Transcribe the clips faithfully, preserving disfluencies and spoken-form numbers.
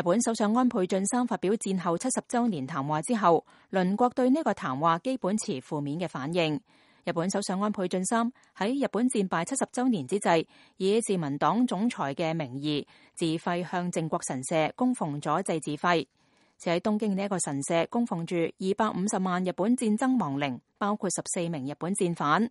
日本首相安倍晉三發表戰後七十週年談話之後，鄰國對呢個談話基本持負面嘅反應。日本首相安倍晉三喺日本戰敗七十週年之際，以自民黨總裁嘅名義自費向靖國神社供奉咗祭祀費。就喺東京呢一個神社供奉住二百五十萬日本戰爭亡靈，包括十四名日本戰犯。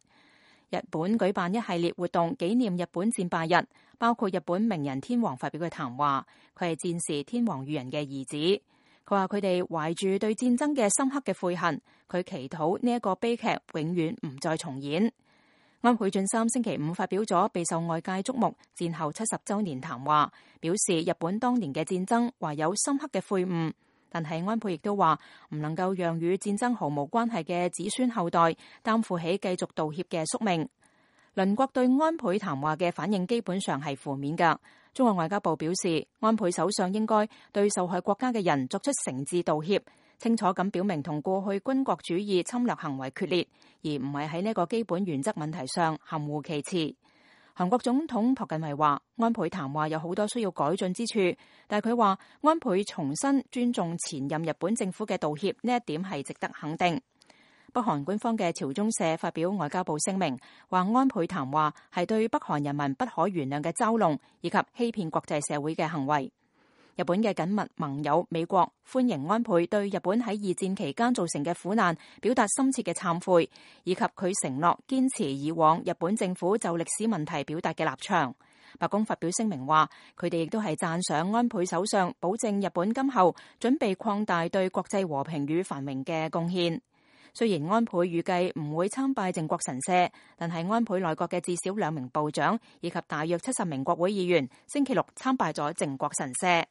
日本舉辦一系列活動紀念日本戰敗日，包括日本明仁天皇發表嘅談話。佢係戰時天皇裕仁嘅兒子。佢話佢哋懷住對戰爭嘅深刻嘅悔恨，佢祈禱呢一個悲劇永遠唔再重演。安倍晉三星期五發表咗備受外界矚目戰後七十週年談話，表示日本當年嘅戰爭懷有深刻嘅悔悟。但係安倍亦都話唔能夠讓與戰爭毫無關係嘅子孫後代擔負起繼續道歉嘅宿命。鄰國對安倍談話嘅反應基本上係負面㗎。中國外交部表示，安倍首相應該對受害國家嘅人作出誠摯道歉，清楚咁表明同過去軍國主義侵略行為決裂，而唔係喺呢個基本原則問題上含糊其辭。韓國總統朴槿惠話，安倍談話有好多需要改進之處，但係佢話安倍重新尊重前任日本政府嘅道歉，呢一點係值得肯定。北韓官方嘅朝中社發表外交部聲明，話安倍談話係對北韓人民不可原諒嘅嘲弄以及欺騙國際社會嘅行為。日本嘅緊密盟友美國歡迎安倍對日本喺二戰期間造成嘅苦難表達深切嘅懺悔，以及佢承諾堅持以往日本政府就歷史問題表達嘅立場。白宮發表聲明話，佢哋亦都係讚賞安倍首相保證日本今後準備擴大對國際和平與繁榮嘅貢獻。雖然安倍預計唔會參拜靖國神社，但係安倍內閣嘅至少兩名部長以及大約七十名國會議員星期六參拜咗靖國神社。